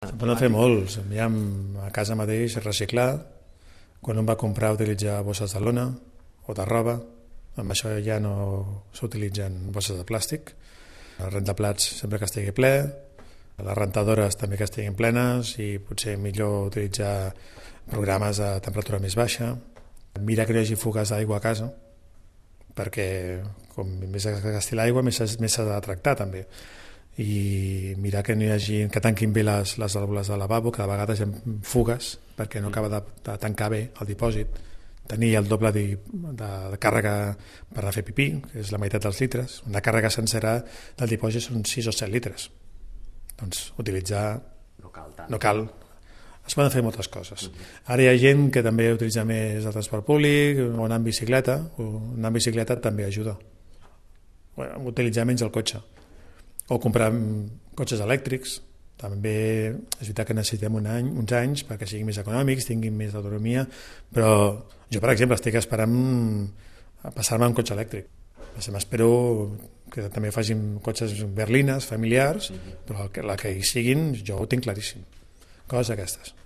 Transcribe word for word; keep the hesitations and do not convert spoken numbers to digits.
Se'n poden fer molts. Hi ha a casa mateix reciclar, quan un va comprar utilitzar bosses de lona o de roba, amb això ja no s'utilitzen bosses de plàstic. El rentaplats sempre que estigui ple, les rentadores també que estiguin plenes i potser millor utilitzar programes a temperatura més baixa. Mira que no hi hagi fugues d'aigua a casa, perquè com més es gasti l'aigua més s'ha de tractar també. I mirar que no hi hagi, que tanquin bé les, les vàlvules del lavabo, que de vegades hi ha fugues perquè no acaba de, de tancar bé el dipòsit, tenir el doble de, de, de càrrega per anar a fer pipí, que és la meitat dels litres. Una càrrega sencera del dipòsit són sis o set litres. Doncs utilitzar... No cal tant. No cal. Es poden fer moltes coses. Uh-huh. Ara hi ha gent que també utilitza més el transport públic o anar en bicicleta. Anar en bicicleta també ajuda. Bueno, utilitzar menys el cotxe. O comprar cotxes elèctrics. També és veritat que necessitem un any, uns anys perquè siguin més econòmics, tinguin més autonomia, però jo, per exemple, estic esperant a passar-me un cotxe elèctric. M'espero que també facin cotxes berlines, familiars, però la que hi siguin jo ho tinc claríssim. Coses aquestes.